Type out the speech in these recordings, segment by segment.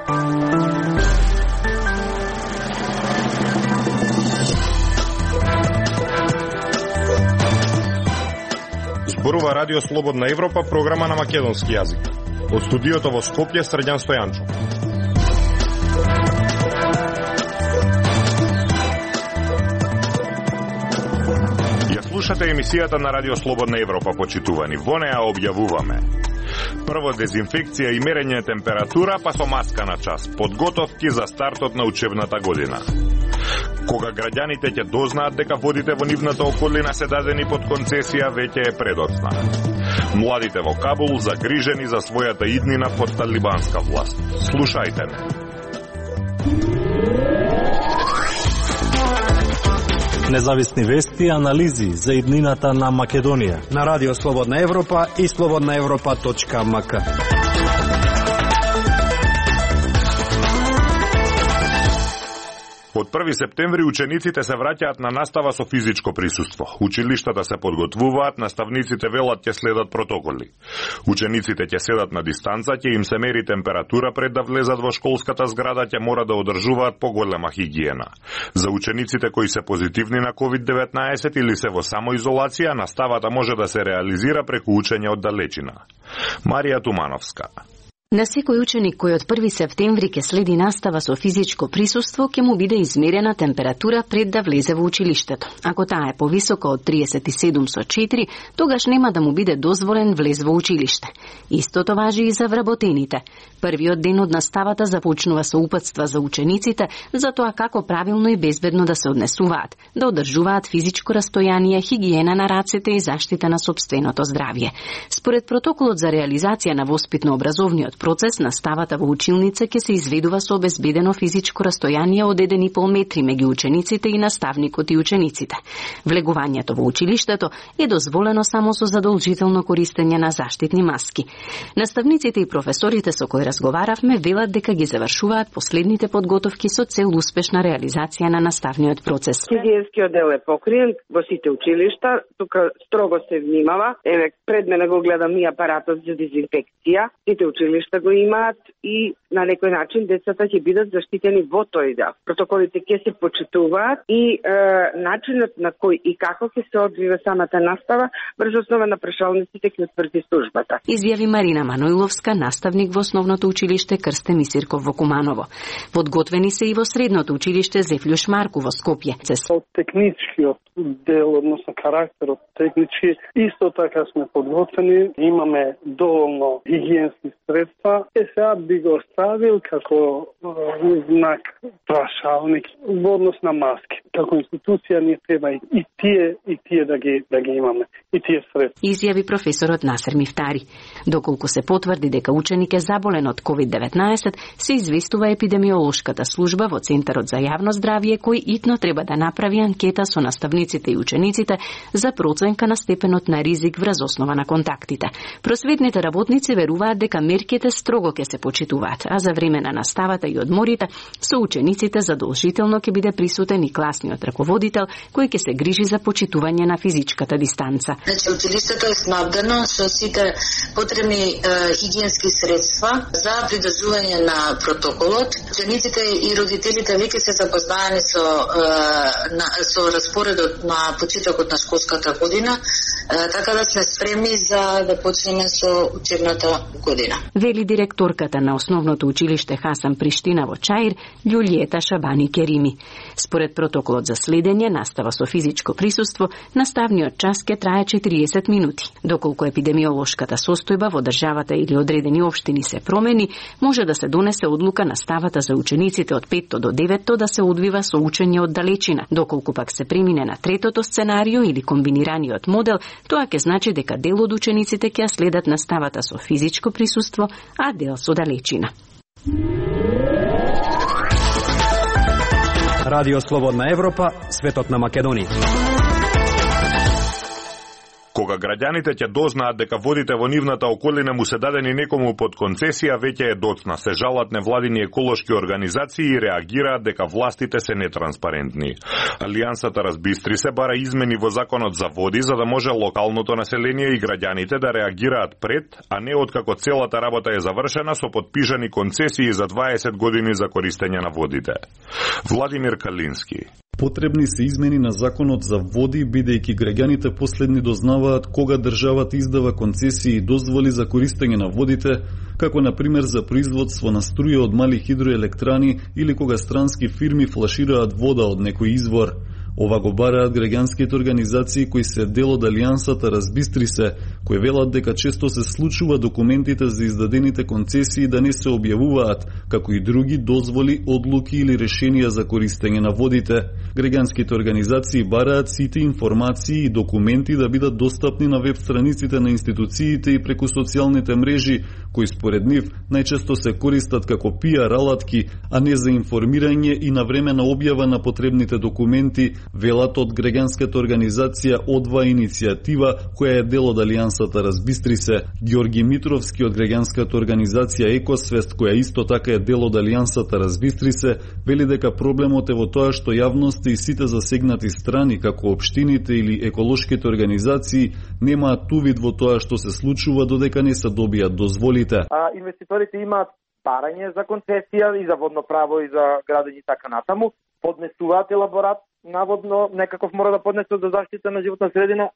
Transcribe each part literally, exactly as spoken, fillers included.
Зборува Радио Слободна Европа, програма на македонски јазик. Од студиото во Скопје, Срđan Стојанчо. Ја слушате емисијата на Радио Слободна Европа, почитувани. Во неа објавуваме: прво дезинфекција и мерење температура, па со маска на час. Подготовки за стартот на учебната година. Кога граѓаните ќе дознаат дека водите во нивната околина се дадени под концесија, веќе е предоцна. Младите во Кабул загрижени за својата иднина под талибанска власт. Слушајте ме. Независни вести и анализи за иднината на Македонија на Радио Слободна Европа и слободна европа точка ем ка. Од први септември учениците се враќаат на настава со физичко присуство. Училиштата се подготвуваат, наставниците велат ќе следат протоколи. Учениците ќе седат на дистанца, ќе им се мери температура пред да влезат во школската зграда, ќе мора да одржуваат поголема хигиена. За учениците кои се позитивни на ковид деветнаесет или се во самоизолација, наставата може да се реализира преку учење од далечина. Марија Тумановска. На секој ученик кој од први септември ќе следи настава со физичко присуство, ќе му биде измерена температура пред да влезе во училиштето. Ако таа е повисока од триесет и седум со четири, тогаш нема да му биде дозволен влез во училиште. Истото важи и за вработените. Првиот ден од наставата започнува со упатства за учениците за тоа како правилно и безбедно да се однесуваат, да одржуваат физичко растојание, хигиена на рацете и заштита на сопственото здравје. Според протоколот за реализација на воспитно-образовниот процес, наставата во училница ќе се изведува со обезбедено физичко растојание од еден и пол метри меѓу учениците и наставникот и учениците. Влегувањето во училиштето е дозволено само со задолжително користење на заштитни маски. Наставниците и професорите со кои разговаравме велат дека ги завршуваат последните подготовки со цел успешна реализација на наставниот процес. Хигиенскиот дел е покриен во сите училишта, тука строго се внимава. Еве пред мене го гледам и апаратот за дезинфекција. Сите училишта го имаат и на некој начин децата ќе бидат заштитени во тој дел. Протоколите ќе се почитуваат и е, начинот на кој и како ќе се одвива самата настава врз основа на прашалниците ќе утврди службата. Изјави Марина Маноиловска, наставник во основното училиште Крсте Мисирков во Куманово. Подготвени се и во средното училиште Зефлюш Марку во Скопје. Од техничкиот дел, односно карактерот технички, исто така сме подготвени, имаме доволно хигиенски средства. Е сега би го оставил како знак прашалник во однос на маски. Како институција ни треба и тие и тие да ги да ги имаме, и тие средства. Изјави професорот Насер Мифтари. Доколку се потврди дека ученик е заболен од ковид деветнаесет, се известува епидемиолошката служба во Центарот за јавно здравје, кој итно треба да направи анкета со наставниците и учениците за проценка на степенот на ризик врз основа на контактите. Просветните работници веруваат дека мерките строго ќе се почитуваат, а за време на наставата и одморите со учениците задолжително ќе биде присутен и класниот раководител кој ќе се грижи за почитување на физичката дистанца. Значи, училиштето е снабдено со сите потребни е, хигиенски средства за придржување на протоколот. Учениците и родителите веќе се запознаени со е, на, со распоредот на почетокот на школската година, е, така да сме спремни за да почнеме со учебната година. Вели директорката на основното училиште Хасан Приштина во Чаир, Љулиета Шабани Керими. Според протоколот за следење настава со физичко присуство, наставниот час ќе трае четириесет минути. Доколку епидемиолошката состојба во државата или одредени општини се промени, може да се донесе одлука наставата за учениците од петто до деветто да се одвива со учење од далечина. Доколку пак се премине на третото сценарио или комбинираниот модел, тоа ќе значи дека дел од учениците ќе следат наставата со физичко присуство, а дел со далечина. Радио Слободна Европа, светот на Македонија. Кога кога граѓаните ќе дознаат дека водите во нивната околина му се дадени некому под концесија, веќе е доцна. Се жалат невладини еколошки организации и реагираат дека властите се нетранспарентни. Алијансата Разбистри се бара измени во законот за води за да може локалното население и граѓаните да реагираат пред, а не откако целата работа е завршена со подпишани концесии за дваесет години за користење на водите. Владимир Калински. Потребни се измени на законот за води, бидејќи граѓаните последни дознаваат кога државата издава концесии и дозволи за користење на водите, како на пример за производство на струја од мали хидроелектрани или кога странски фирми флашираат вода од некој извор. Ова го бараат граѓанските организации кои се дел од Алијансата Разбистри се, кои велат дека често се случува документите за издадените концесии да не се објавуваат, како и други дозволи, одлуки или решенија за користење на водите. Граѓанските организации бараат сите информации и документи да бидат достапни на веб страниците на институциите и преку социјалните мрежи, кои според нив најчесто се користат како пиар алатки, а не за информирање и навремена објава на потребните документи, велат од граѓанската организација Одва иницијатива, која е дел од Алијансата Разбистри се. Ѓорги Митровски од граѓанската организација Екосвест, која исто така е дел од Алијансата Разбистри се, вели дека проблемот е во тоа што јавноста и сите засегнати страни, како општините или еколошките организации, немаат увид во тоа што се случува додека не се добијат дозволите. А инвеститорите имаат барање за концесија и за водно право и за градење и така натаму, поднесуваат елаборат, наводно некаков мора да поднесат за заштита на животна средина,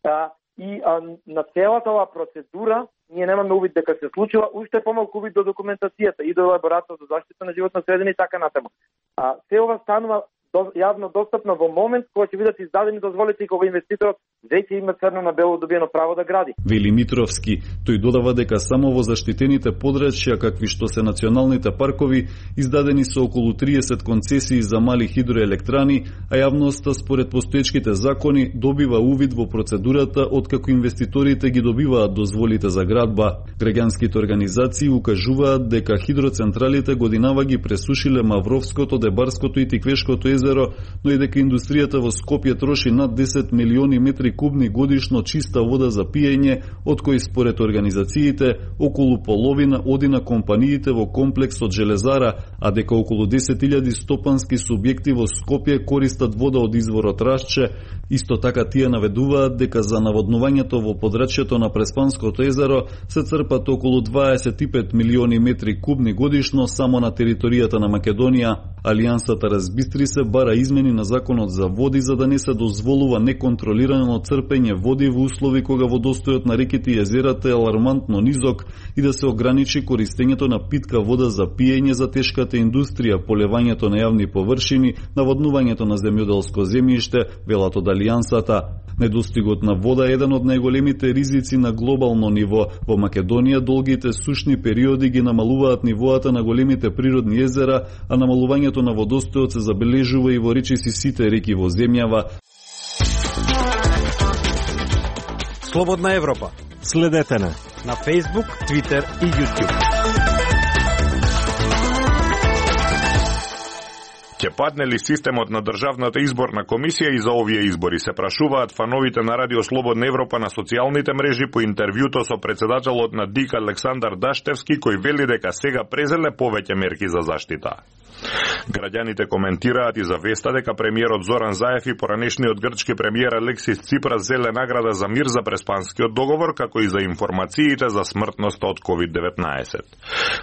а, и а, на целата оваа процедура ние немаме увид дека се случува, уште помалку увид до документацијата и до елаборатот за заштита на животна средина и така натаму. А се ова станува до, јавно достапно во момент кога ќе бидат издадени дозволите и кога инвеститорот веќе има црно на бело добиено право да гради. Вели Митровски, тој додава дека само во заштитените подрачја, какви што се националните паркови, издадени се околу триесет концесии за мали хидроелектрани, а јавноста според постоечките закони добива увид во процедурата откако инвеститорите ги добиваат дозволите за градба. Граѓанските организации укажуваат дека хидроцентралите годинава ги пресушиле Мавровското, Дебарското и Тиквешкото езеро, но и дека индустријата во Скопје троши над десет милиони метри кубни годишно чиста вода за пиење, од кои според организациите околу половина оди на компаниите во комплексот Железара, а дека околу десет илјади стопански субјекти во Скопје користат вода од изворот Рашче. Исто така тие наведуваат дека за наводнувањето во подрачјето на Преспанското езеро се црпат околу дваесет и пет милиони метри кубни годишно само на територијата на Македонија. Алијансата Разбистри се бара измени на законот за води за да не се дозволува неконтролирано црпење води во услови кога водостојот на реките и езерата е алармантно низок и да се ограничи користењето на питка вода за пиење за тешката индустрија, полевањето на јавни површини, наводнувањето на земјоделско земјиште, велат од Алијансата. Недостигот на вода е еден од најголемите ризици на глобално ниво. Во Македонија долгите сушни периоди ги намалуваат нивоата на големите природни езера, а намалувањето на водостојот се забележува и во речиси сите реки во земјава. Слободна Европа. Следете на на Facebook, Twitter и YouTube. Ќе падне ли системот на Државната изборна комисија и за овие избори, се прашуваат фановите на Радио Слободна Европа на социјалните мрежи по интервјуто со председателот на ДИК Александар Даштевски, кој вели дека сега презеле повеќе мерки за заштита. Граѓаните коментираат и за веста дека премиерот Зоран Заев и поранешниот грчки премиер Алексис Ципрас зеле награда за мир за Преспанскиот договор, како и за информациите за смртноста од ковид деветнаесет.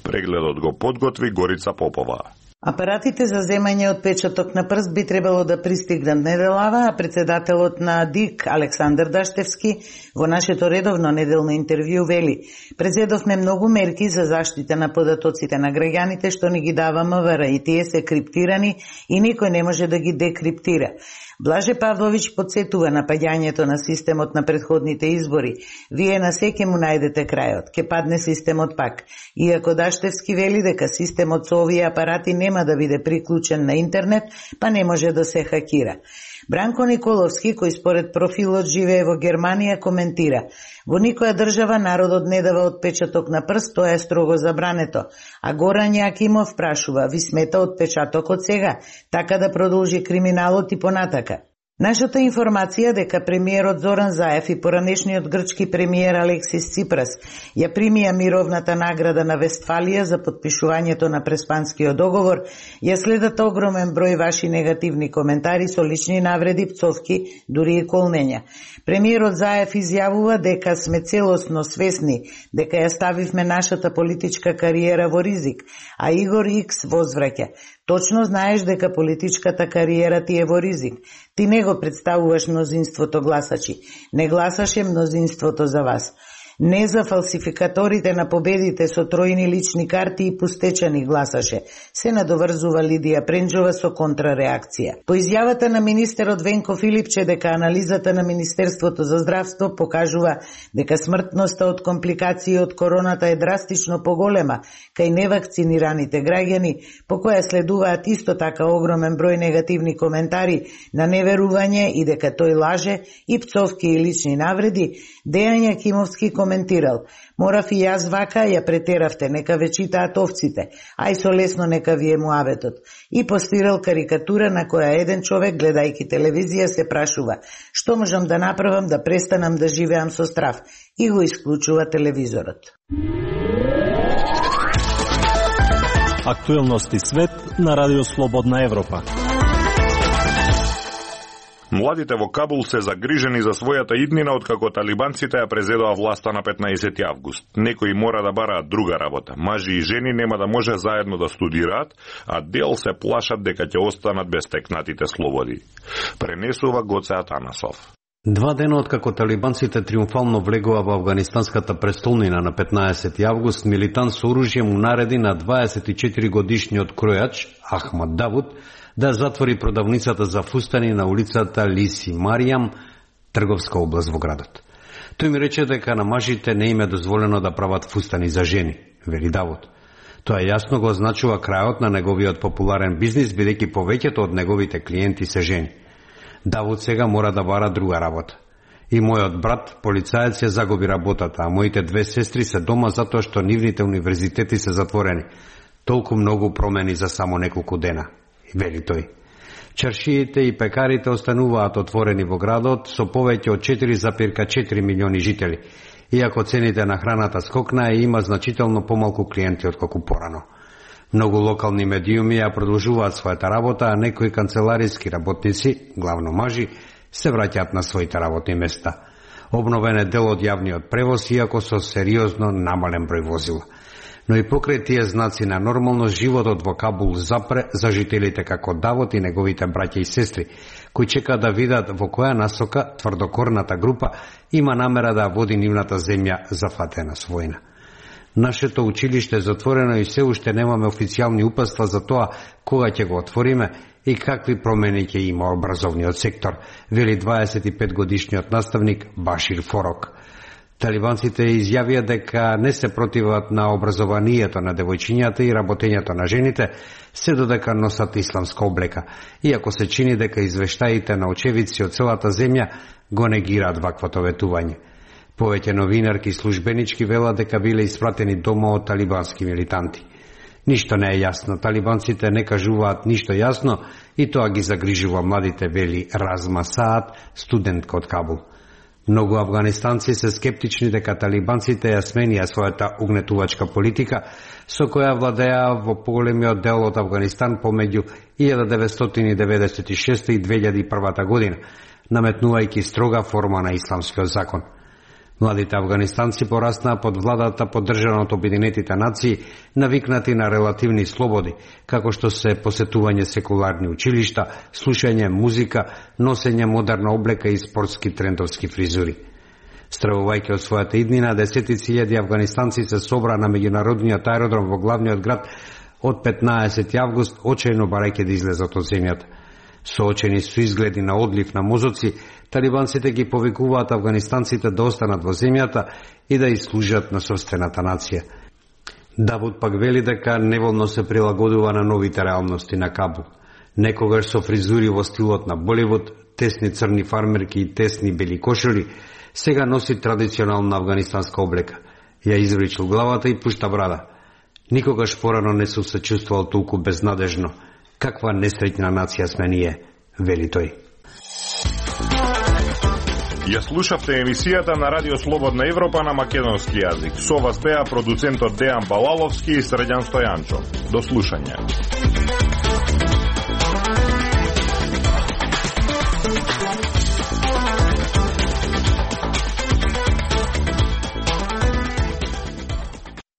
Прегледот го подготви Горица Попова. Апаратите за земање отпечаток на прст би требало да пристигнат неделава, а председателот на ДИК Александар Даштевски во нашето редовно неделно интервју вели: "Презедовме многу мерки за заштита на податоците на граѓаните што ни ги дава МВР и тие се криптирани и никој не може да ги декриптира." Блаже Павлович подсетува на паѓањето на системот на претходните избори. Вие на секе му најдете крајот. Ке падне системот пак. Иако Даштевски вели дека системот со овие апарати нема да биде приклучен на интернет, па не може да се хакира. Бранко Николовски, кој според профилот живее во Германија, коментира: "Во никоја држава народот не дава отпечаток на прст, тоа е строго забрането." А Горан Јакимов прашува: "Ви смета отпечатокот сега, така да продолжи криминалот и понатака?" Нашата информација дека премиерот Зоран Заев и поранешниот грчки премиер Алексис Ципрас ја примија мировната награда на Вестфалија за потпишувањето на Преспанскиот договор, ја следат огромен број ваши негативни коментари со лични навреди, пцовки, дури и колнења. Премиерот Заев изјавува дека сме целосно свесни дека ја ставивме нашата политичка кариера во ризик, а Игор Икс возвраќа: точно знаеш дека политичката кариера ти е во ризик. Ти не го представуваш мнозинството гласачи. Не гласаше мнозинството за вас. Не за фалсификаторите на победите со тројни лични карти и пустечани гласаше, се надоврзува Лидија Пренџова со контрареакција. По изјавата на министерот Венко Филипче дека анализата на Министерството за здравство покажува дека смртноста од компликации од короната е драстично поголема кај невакцинираните граѓани, по која следуваат исто така огромен број негативни коментари на неверување и дека тој лаже и пцовки и лични навреди, Дејан Јакимовски коментирал: морав и јас вака, ја претеравте, нека ве читаат овците, ај со лесно нека ви е муаветот. И постирал карикатура на која еден човек, гледајќи телевизија, се прашува: што можам да направам да престанам да живеам со страв? И го исклучува телевизорот. Актуелности свет на Радио Слободна Европа. Младите во Кабул се загрижени за својата иднина откако талибанците ја презедоа власта на петнаесети август. Некои мора да бараат друга работа. Мажи и жени нема да може заедно да студираат, а дел се плашат дека ќе останат без текнатите слободи. Пренесува Гоце Атанасов. Два дена откако талибанците триумфално влегува во афганистанската престолнина на петнаесети август, милитант со оружје му нареди на дваесет и четири годишниот кројач Ахмад Давуд да затвори продавницата за фустани на улицата Лиси Маријам, трговска област во градот. Тој ми рече дека на мажите не им е дозволено да прават фустани за жени, вели Давуд. Тоа јасно го означува крајот на неговиот популарен бизнис, бидејќи повеќето од неговите клиенти се жени. Давуд сега мора да бара друга работа. И мојот брат, полицаец, ја загуби работата, а моите две сестри се дома затоа што нивните универзитети се затворени. Толку многу промени за само неколку дена, вели тој. Чаршиите и пекарите остануваат отворени во градот со повеќе од четири запирка четири милиони жители. Иако цените на храната скокнаа и има значително помалку клиенти отколку порано. Многу локални медиуми ја продолжуваат својата работа, а некои канцелариски работници, главно мажи, се враќаат на своите работни места. Обновен е дел од јавниот превоз, иако со сериозно намален број возила. Но и покрај тие знаци на нормалност, животот во Кабул запре за жителите како Давот и неговите браќа и сестри, кои чекаат да видат во која насока тврдокорната група има намера да води нивната земја зафатена со војна. Нашето училиште е затворено и се уште немаме официјални упатства за тоа кога ќе го отвориме и какви промени ќе има образовниот сектор, вели дваесет и пет годишниот наставник Башир Форок. Талибанците изјавија дека не се противат на образованието на девојчињата и работењето на жените, се додека носат исламска облека, иако се чини дека извештаите на очевидци од целата земја го негираат ваквото ветување. Повеќе новинарки и службенички велат дека биле испратени дома од талибански милитанти. Ништо не е јасно, талибанците не кажуваат ништо јасно и тоа ги загрижува младите, вели Разма Саат, студентка од Кабул. Многу афганистанци се скептични дека талибанците ја сменија својата угнетувачка политика, со која владеа во поголемиот дел од Афганистан помеѓу илјада деветстотини деветдесет и шеста и две илјади и прва година, наметнувајќи строга форма на исламскиот закон. Младите афганистанци пораснаа под владата поддржана од Обединетите нации, навикнати на релативни слободи, како што се посетување секуларни училишта, слушање музика, носење модерна облека и спортски трендовски фризури. Стравувајќи од својата иднина, десетици илјади афганистанци се собра на меѓународниот аеродром во главниот град од петнаесети август, очајно барајќи да излезат од земјата. Соочени со изгледи на одлив на мозоци, талибанците ги повикуваат афганистанците да останат во земјата и да изслужат на собствената нација. Давуд пак вели дека неволно се прилагодува на новите реалности на Кабул. Некогаш со фризури во стилот на Боливуд, тесни црни фармерки и тесни бели кошули, сега носи традиционална афганистанска облека. Ја извричил главата и пушта брада. Никогаш порано не се чувствувал толку безнадежно. Каква несреќна нација сме ние, вели тој. Ја слушавте емисијата на Радио Слободна Европа на македонски јазик. Со вас беа продуцентот Дејан Балаловски и Срđan Стојанчов. До слушање.